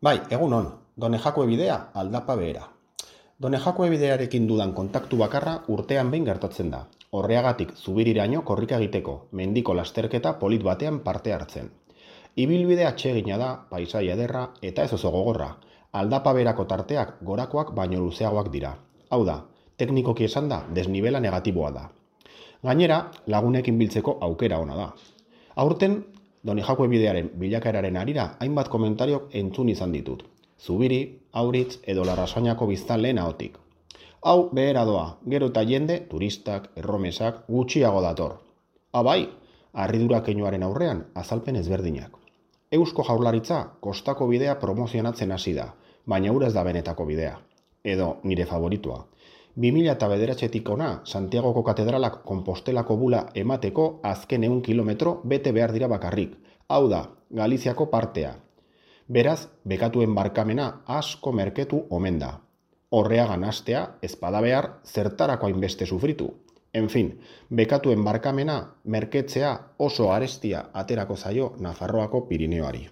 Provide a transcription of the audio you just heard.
Bai, egunon, Donejakue bidea aldapa behera. Donejakue bidearekin dudan kontaktu bakarra urtean behin gertatzen da. Horreagatik zubiriraino korrika egiteko, mendiko lasterketa polit batean parte hartzen. Ibilbide atsegina da, paisaia ederra eta ez oso gogorra. Aldapa beherako tarteak gorakoak baino luzeagoak dira. Hau da, teknikoki esan da, desnibela negatiboa da. Gainera, lagunekin biltzeko aukera ona da. Aurten, Donejakue bidearen bilakaeraren arira hainbat komentariok entzun izan ditut. Zubiri, Auritz edo Larrasainako biztanleen ahotik. Hau behera doa, gero eta jende, turistak, erromesak, gutxiago dator. Bai, harridura keinuaren aurrean azalpen ezberdinak. Eusko Jaurlaritza kostako bidea promozionatzen hasi da, baina hura ez da benetako bidea. Edo nire favoritua. 2009tik ona, Santiagoko katedralak Konpostelako bula emateko azken 100 kilometro bete behar dira bakarrik. Hau da, Galiziako partea. Beraz, bekatuen barkamena asko merketu omen da. Horreagan hastea, ezpada behar, zertarako hainbeste sufritu. En fin, bekatuen barkamena merketzea oso arestia aterako zaio Nafarroako Pirineoari.